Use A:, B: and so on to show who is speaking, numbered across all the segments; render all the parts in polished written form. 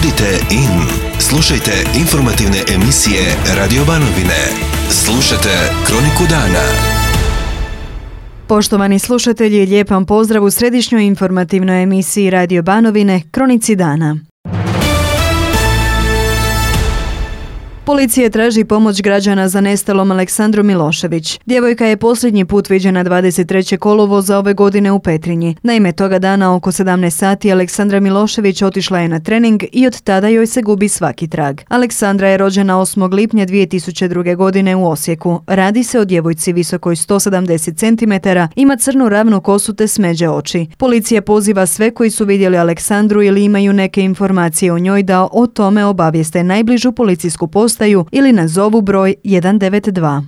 A: Budite in. Slušajte informativne emisije Radio Banovine. Slušajte Kroniku dana.
B: Poštovani slušatelji, lijep vam pozdrav u središnjoj informativnoj emisiji Radio Banovine, Kronici dana. Policija traži pomoć građana za nestalom Aleksandru Milošević. Djevojka je posljednji put viđena 23. kolovoza ove godine u Petrinji. Naime, toga dana oko 17 sati Aleksandra Milošević otišla je na trening i od tada joj se gubi svaki trag. Aleksandra je rođena 8. lipnja 2002. godine u Osijeku. Radi se o djevojci visokoj 170 cm, ima crnu ravnu kosu te smeđe oči. Policija poziva sve koji su vidjeli Aleksandru ili imaju neke informacije o njoj da o tome obavijeste najbližu policijsku postaju ili nazovu broj 192.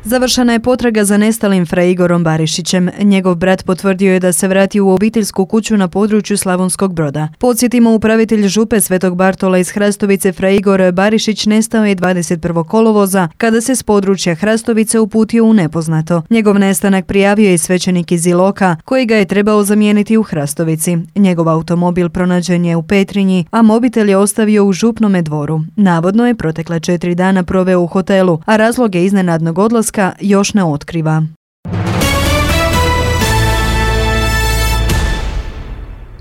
B: Završena je potraga za nestalim fra Igorom Barišićem. Njegov brat potvrdio je da se vratio u obiteljsku kuću na području Slavonskog Broda. Podsjetimo, upravitelj župe Svetog Bartola iz Hrastovice fra Igor Barišić nestao je 21. kolovoza kada se s područja Hrastovice uputio u nepoznato. Njegov nestanak prijavio je svećenik iz Iloka koji ga je trebao zamijeniti u Hrastovici. Njegov automobil pronađen je u Petrinji, a mobitel je ostavio u Župnome Dvoru. Navodno je protekla 4 dana proveo u hotelu, a razloge iznenadnog odlaska još ne otkriva.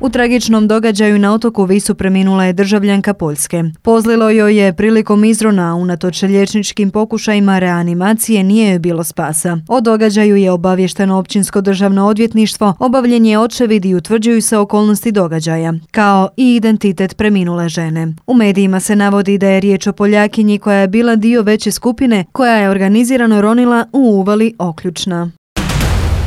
B: U tragičnom događaju na otoku Visu preminula je državljanka Poljske. Pozlilo joj je prilikom izrona, a unatoč liječničkim pokušajima reanimacije nije joj bilo spasa. O događaju je obavješteno Općinsko državno odvjetništvo, obavljen je očevid i utvrđuju se okolnosti događaja, kao i identitet preminule žene. U medijima se navodi da je riječ o Poljakinji koja je bila dio veće skupine koja je organizirano ronila u uvali Oključna.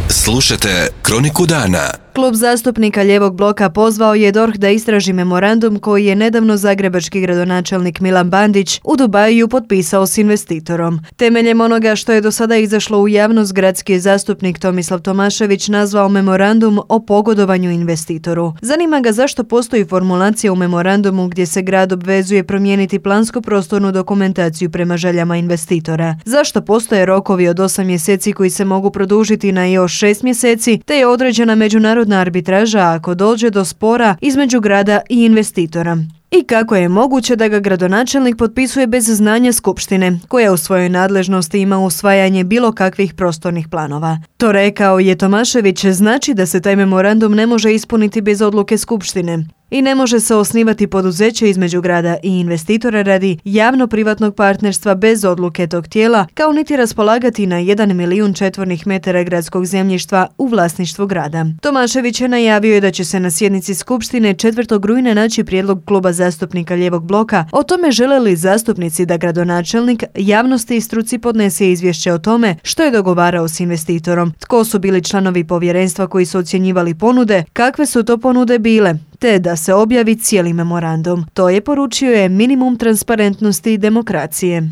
A: Slušajte Kroniku dana.
B: Klub zastupnika Lijevog bloka pozvao je DORH da istraži memorandum koji je nedavno zagrebački gradonačelnik Milan Bandić u Dubaju potpisao s investitorom. Temeljem onoga što je do sada izašlo u javnost, gradski zastupnik Tomislav Tomašević nazvao memorandum o pogodovanju investitoru. Zanima ga zašto postoji formulacija u memorandumu gdje se grad obvezuje promijeniti plansko-prostornu dokumentaciju prema željama investitora. Zašto postoje rokovi od 8 mjeseci koji se mogu produžiti na još 6 mjeseci, te je određena međunarodna arbitraža ako dođe do spora između grada i investitora. I kako je moguće da ga gradonačelnik potpisuje bez znanja skupštine, koja u svojoj nadležnosti ima usvajanje bilo kakvih prostornih planova. To, rekao je Tomašević, znači da se taj memorandum ne može ispuniti bez odluke skupštine i ne može se osnivati poduzeće između grada i investitora radi javno-privatnog partnerstva bez odluke tog tijela, kao niti raspolagati na 1 milijun četvornih metara gradskog zemljišta u vlasništvu grada. Tomašević je najavio da će se na sjednici skupštine 4. rujna naći prijedlog kluba zastupnika Lijevog bloka o tome žele li zastupnici da gradonačelnik javnosti i struci podnese izvješće o tome što je dogovarao s investitorom, tko su bili članovi povjerenstva koji su ocjenjivali ponude, kakve su to ponude bile, te da se objavi cijeli memorandum. To je, poručio je, minimum transparentnosti i demokracije.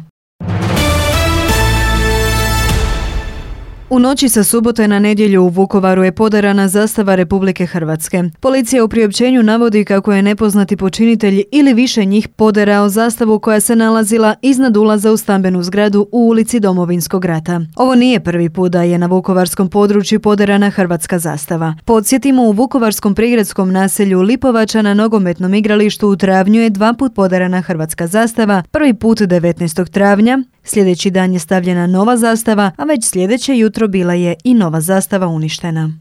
B: U noći sa subote na nedjelju u Vukovaru je podarana zastava Republike Hrvatske. Policija u priopćenju navodi kako je nepoznati počinitelj ili više njih poderao zastavu koja se nalazila iznad ulaza u stambenu zgradu u ulici Domovinskog rata. Ovo nije prvi put da je na vukovarskom području poderana hrvatska zastava. Podsjetimo, u vukovarskom prigradskom naselju Lipovača na nogometnom igralištu u travnju je 2 puta poderana hrvatska zastava, prvi put 19. travnja, sljedeći dan je stavljena nova zastava, a već sljedeće jutro bila je i nova zastava uništena.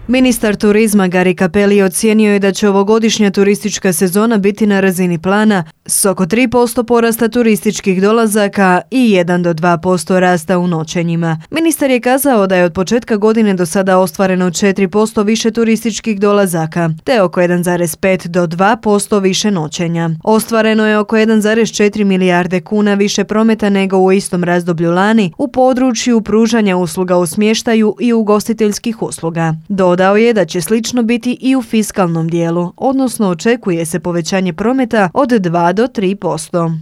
B: Ministar turizma Gari Cappelli ocijenio je da će ovogodišnja turistička sezona biti na razini plana s oko 3% porasta turističkih dolazaka i 1 do 2% rasta u noćenjima. Ministar je kazao da je od početka godine do sada ostvareno 4% više turističkih dolazaka, te oko 1,5 do 2% više noćenja. Ostvareno je oko 1,4 milijarde kuna više prometa nego u istom razdoblju lani u području pružanja usluga u smještaju i ugostiteljskih usluga. Dodao je da će slično biti i u fiskalnom dijelu, odnosno očekuje se povećanje prometa od 2 do 3%.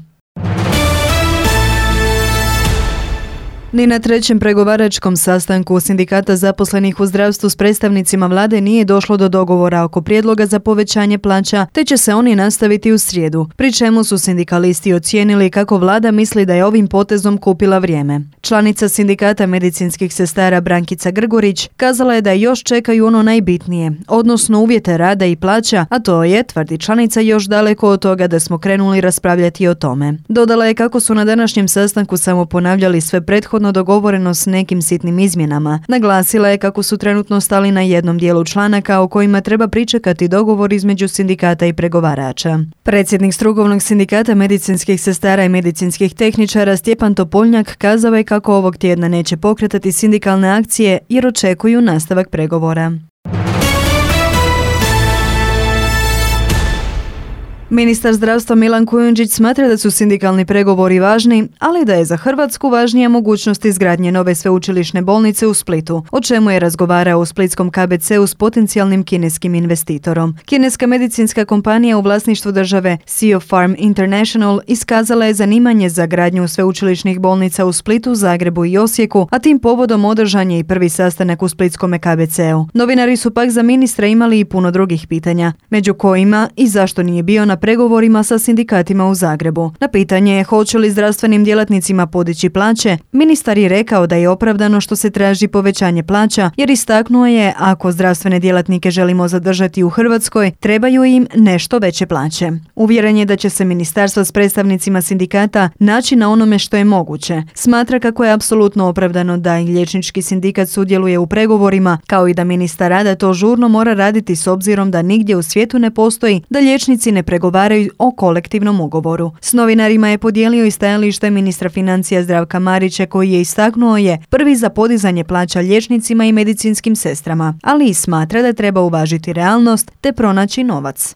B: Ni na trećem pregovaračkom sastanku sindikata zaposlenih u zdravstvu s predstavnicima vlade nije došlo do dogovora oko prijedloga za povećanje plaća, te će se oni nastaviti u srijedu, pri čemu su sindikalisti ocijenili kako vlada misli da je ovim potezom kupila vrijeme. Članica sindikata medicinskih sestara Brankica Grgurić kazala je da još čekaju ono najbitnije, odnosno uvjete rada i plaća, a to je, tvrdi članica, još daleko od toga da smo krenuli raspravljati o tome. Dodala je kako su na današnjem sastanku samo ponavljali sve prethodno dogovoreno s nekim sitnim izmjenama. Naglasila je kako su trenutno stali na jednom dijelu članaka o kojima treba pričekati dogovor između sindikata i pregovarača. Predsjednik strukovnog sindikata medicinskih sestara i medicinskih tehničara Stjepan Topoljnjak kazao je kako ovog tjedna neće pokretati sindikalne akcije jer očekuju nastavak pregovora. Ministar zdravstva Milan Kujundžić smatra da su sindikalni pregovori važni, ali da je za Hrvatsku važnija mogućnost izgradnje nove sveučilišne bolnice u Splitu, o čemu je razgovarao u splitskom KBC-u s potencijalnim kineskim investitorom. Kineska medicinska kompanija u vlasništvu države Sinopharm International iskazala je zanimanje za gradnju sveučilišnih bolnica u Splitu, Zagrebu i Osijeku, a tim povodom održan je i prvi sastanak u splitskome KBC-u. Novinari su pak za ministra imali i puno drugih pitanja, među kojima i zašto nije bio na pregovorima sa sindikatima u Zagrebu. Na pitanje hoće li zdravstvenim djelatnicima podići plaće, ministar je rekao da je opravdano što se traži povećanje plaća, jer istaknuo je ako zdravstvene djelatnike želimo zadržati u Hrvatskoj, trebaju im nešto veće plaće. Uvjeren je da će se ministarstvo s predstavnicima sindikata naći na onome što je moguće. Smatra kako je apsolutno opravdano da i liječnički sindikat sudjeluje u pregovorima, kao i da ministar rada to žurno mora raditi s obzirom da nigdje u svijetu ne postoji da liječnici ne pregovaraju o kolektivnom ugovoru. S novinarima je podijelio i stajalište ministra financija Zdravka Marića koji je istaknuo je prvi za podizanje plaća liječnicima i medicinskim sestrama, ali i smatra da treba uvažiti realnost te pronaći novac.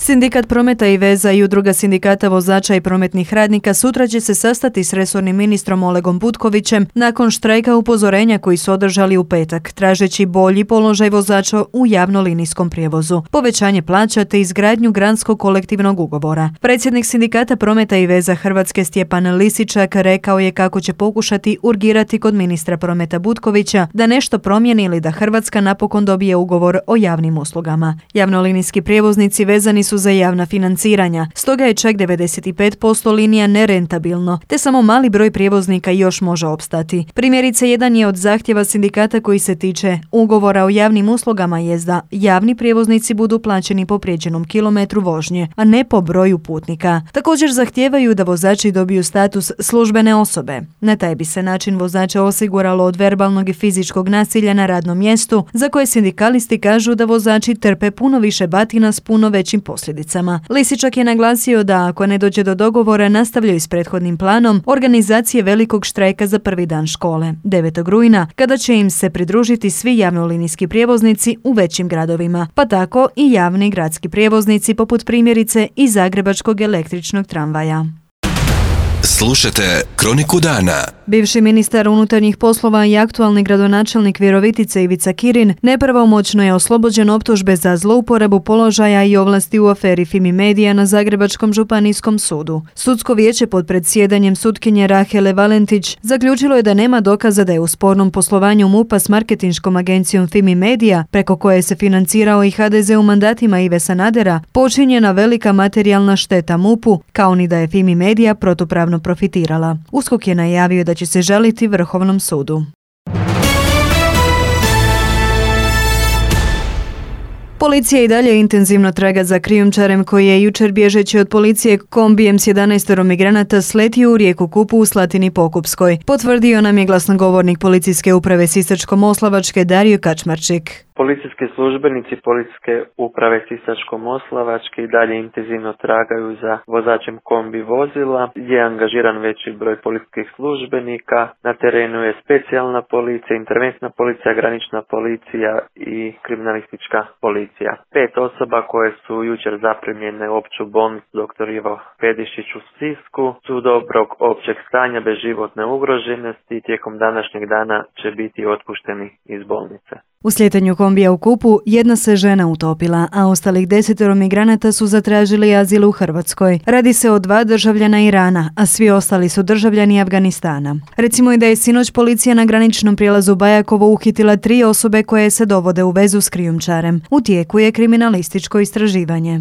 B: Sindikat prometa i veza i udruga sindikata vozača i prometnih radnika sutra će se sastati s resornim ministrom Olegom Butkovićem nakon štrajka upozorenja koji su održali u petak, tražeći bolji položaj vozača u javnolinijskom prijevozu, povećanje plaća te izgradnju granskog kolektivnog ugovora. Predsjednik sindikata prometa i veza Hrvatske Stjepan Lisičak rekao je kako će pokušati urgirati kod ministra prometa Butkovića da nešto promijeni ili da Hrvatska napokon dobije ugovor o javnim uslugama. Javnolinijski prijevoznici vezani su za javna financiranja, stoga je čak 95% linija nerentabilno, te samo mali broj prijevoznika još može opstati. Primjerice, jedan je od zahtjeva sindikata koji se tiče ugovora o javnim uslugama jest da javni prijevoznici budu plaćeni po prijeđenom kilometru vožnje, a ne po broju putnika. Također zahtijevaju da vozači dobiju status službene osobe. Na taj bi se način vozača osiguralo od verbalnog i fizičkog nasilja na radnom mjestu, za koje sindikalisti kažu da vozači trpe puno više batina s puno većim posljedicama. Lisičak je naglasio da ako ne dođe do dogovora nastavljaju s prethodnim planom organizacije velikog štrajka za prvi dan škole, 9. rujna, kada će im se pridružiti svi javnolinijski prijevoznici u većim gradovima, pa tako i javni gradski prijevoznici poput primjerice i zagrebačkog električnog tramvaja.
A: Slušajte Kroniku dana.
B: Bivši ministar unutarnjih poslova i aktualni gradonačelnik Virovitice Ivica Kirin nepravomoćno je oslobođen optužbe za zlouporabu položaja i ovlasti u aferi Fimi Media na Zagrebačkom županijskom sudu. Sudsko vijeće pod predsjedanjem sutkinje Rahele Valentić zaključilo je da nema dokaza da je u spornom poslovanju MUP-a s marketinškom agencijom Fimi Media, preko koje se financirao i HDZ u mandatima Ive Sanadera, počinjena velika materijalna šteta MUP-u, kao ni da je Fimi Media protupravno profitirala. USKOK je najavio da će se žaliti Vrhovnom sudu. Policija i dalje intenzivno traga za krijumčarem koji je jučer bježeći od policije kombijem s 11 migranata sletio u rijeku Kupu u Slatini Pokupskoj. Potvrdio nam je glasnogovornik policijske uprave Sisačko-moslavačke Dario Kačmarčik.
C: Policijski službenici Policijske uprave Sisačko-moslavačke i dalje intenzivno tragaju za vozačem kombi vozila. Je angažiran veći broj policijskih službenika. Na terenu je specijalna policija, interventna policija, granična policija i kriminalistička policija. 5 osoba koje su jučer zaprimljene u opću bolnicu dr. Ivo Pedišić u Sisku su dobrog općeg stanja bez životne ugroženosti i tijekom današnjeg dana će biti otpušteni iz bolnice.
B: U slijetanju kombija u Kupu jedna se žena utopila, a ostalih 10 migranata su zatražili azil u Hrvatskoj. Radi se o 2 državljana Irana, a svi ostali su državljani Afganistana. Recimo i da je sinoć policija na graničnom prijelazu Bajakovo uhitila 3 osobe koje se dovode u vezu s krijumčarem. U tijeku je kriminalističko istraživanje.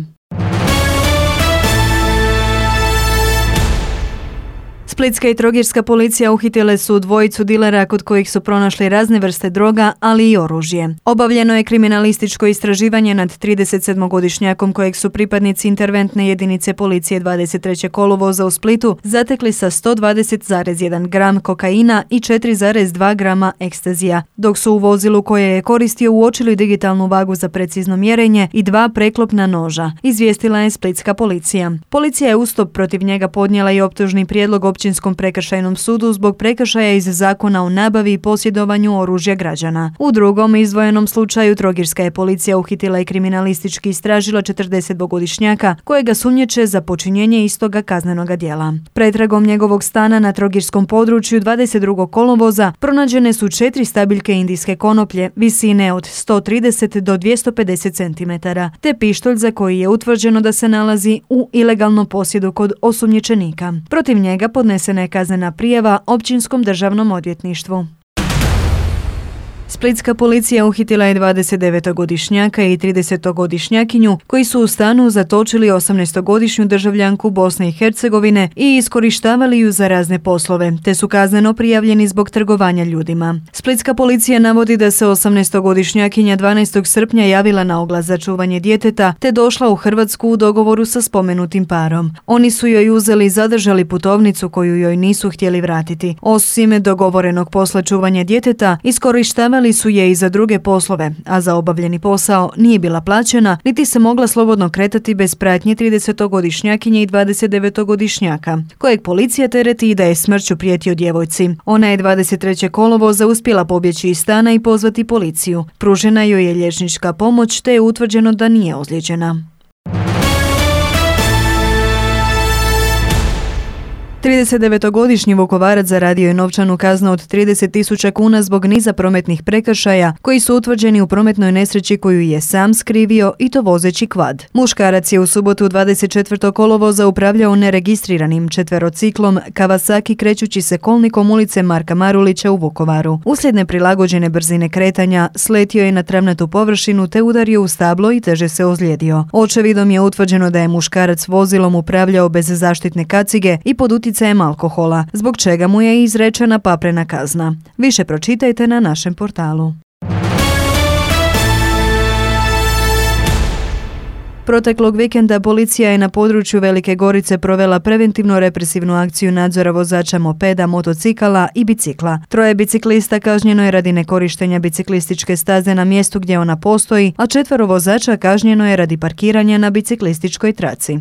B: Splitska i trogirska policija uhitile su 2 dilera kod kojih su pronašli razne vrste droga, ali i oružje. Obavljeno je kriminalističko istraživanje nad 37-godišnjakom kojeg su pripadnici interventne jedinice policije 23. kolovoza u Splitu zatekli sa 120,1 gram kokaina i 4,2 grama ekstazija, dok su u vozilu koje je koristio uočili digitalnu vagu za precizno mjerenje i 2 preklopna noža, izvijestila je splitska policija. Policija je uz to protiv njega podnijela i optužni prijedlog Općinskom prekršajnom sudu zbog prekršaja iz Zakona o nabavi i posjedovanju oružja građana. U drugom izdvojenom slučaju trogirska je policija uhitila i kriminalistički istražila 40-godišnjaka kojega sumnjiče za počinjenje istoga kaznenoga djela. Pretragom njegovog stana na trogirskom području 22. kolovoza pronađene su 4 stabiljke indijske konoplje visine od 130 do 250 cm, te pištolj za koji je utvrđeno da se nalazi u ilegalnom posjedu kod osumnjičenika. Protiv njega podnesena je kaznena prijava Općinskom državnom odvjetništvu. Splitska policija uhitila je 29-godišnjaka i 30-godišnjakinju koji su u stanu zatočili 18-godišnju državljanku Bosne i Hercegovine i iskorištavali ju za razne poslove, te su kazneno prijavljeni zbog trgovanja ljudima. Splitska policija navodi da se 18-godišnjakinja 12. srpnja javila na oglas za čuvanje djeteta, te došla u Hrvatsku u dogovoru sa spomenutim parom. Oni su joj uzeli i zadržali putovnicu koju joj nisu htjeli vratiti. Osim dogovorenog posla čuvanja djeteta, iskorištavali su je i za druge poslove, a za obavljeni posao nije bila plaćena, niti se mogla slobodno kretati bez pratnje 30-godišnjakinje i 29-godišnjaka, kojeg policija tereti i da je smrću prijetio djevojci. Ona je 23. kolovoza uspjela pobjeći iz stana i pozvati policiju. Pružena joj je liječnička pomoć, te je utvrđeno da nije ozlijeđena. 39-godišnji Vukovarac zaradio je novčanu kaznu od 30.000 kuna zbog niza prometnih prekršaja koji su utvrđeni u prometnoj nesreći koju je sam skrivio i to vozeći kvad. Muškarac je u subotu 24. kolovoza upravljao neregistriranim četverociklom Kawasaki krećući se kolnikom ulice Marka Marulića u Vukovaru. Uslijed neprilagođene brzine kretanja sletio je na travnatu površinu te udario u stablo i teže se ozlijedio. Očevidom je utvrđeno da je muškarac vozilom upravljao bez zaštitne kacige i pod utjecajem alkohola, zbog čega mu je izrečena paprena kazna. Više pročitajte na našem portalu. Proteklog vikenda policija je na području Velike Gorice provela preventivno represivnu akciju nadzora vozača mopeda, motocikala i bicikla. 3 biciklista kažnjeno je radi nekorištenja biciklističke staze na mjestu gdje ona postoji, a 4 vozača kažnjeno je radi parkiranja na biciklističkoj traci.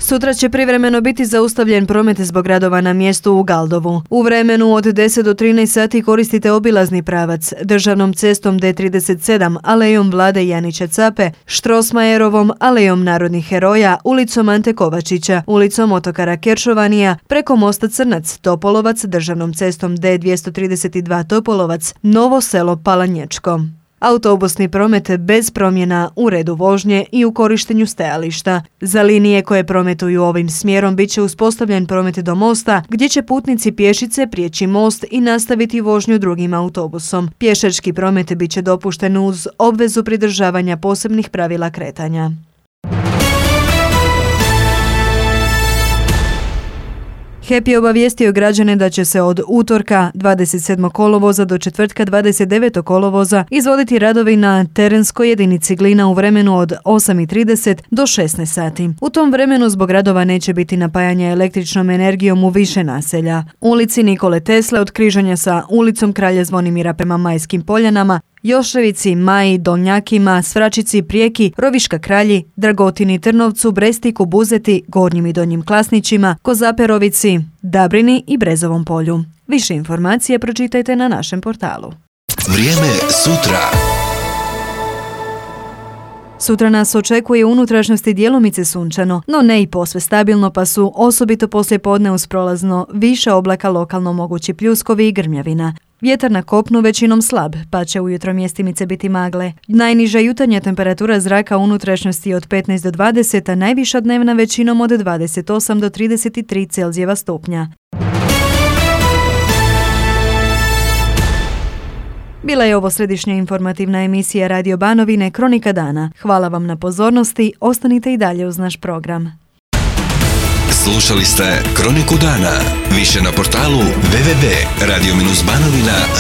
B: Sutra će privremeno biti zaustavljen promet zbog radova na mjestu u Galdovu. U vremenu od 10 do 13 sati koristite obilazni pravac, državnom cestom D37, alejom Vlade Janića Cape, Štrosmajerovom, alejom Narodnih heroja, ulicom Ante Kovačića, ulicom Otokara Keršovanija, preko mosta Crnac, Topolovac, državnom cestom D232 Topolovac, Novo selo Palanječko. Autobusni promet bez promjena u redu vožnje i u korištenju stajališta. Za linije koje prometuju ovim smjerom bit će uspostavljen promet do mosta, gdje će putnici pješice prijeći most i nastaviti vožnju drugim autobusom. Pješački promet bit će dopušten uz obvezu pridržavanja posebnih pravila kretanja. HEP je obavijestio građane da će se od utorka 27. kolovoza do četvrtka 29. kolovoza izvoditi radovi na terenskoj jedinici Glina u vremenu od 8:30 do 16 sati. U tom vremenu zbog radova neće biti napajanja električnom energijom u više naselja. Ulici Nikole Tesle od križanja sa ulicom Kralja Zvonimira prema Majskim Poljanama, Joševici, Maji, Dolnjakima, Svračici, Prijeki, Roviška Kralji, Dragotini, Trnovcu, Brestiku, Buzeti, Gornjim i Donjim Klasnićima, Kozaperovici, Dabrini i Brezovom polju. Više informacije pročitajte na našem portalu.
A: Vrijeme sutra.
B: Sutra nas očekuje u unutrašnjosti djelomice sunčano, no ne i posve stabilno, pa su osobito poslije podne uz prolazno više oblaka lokalno mogući pljuskovi i grmljavina. Vjetar na kopnu većinom slab, pa će ujutro mjestimice biti magle. Najniža jutarnja temperatura zraka u unutrašnjosti od 15 do 20, a najviša dnevna većinom od 28 do 33 Celzijeva stupnja. Bila je ovo središnja informativna emisija Radio Banovine Kronika dana. Hvala vam na pozornosti, ostanite i dalje uz naš program.
A: Slušali ste Kroniku dana. Više na portalu www.radio-banovina.rs.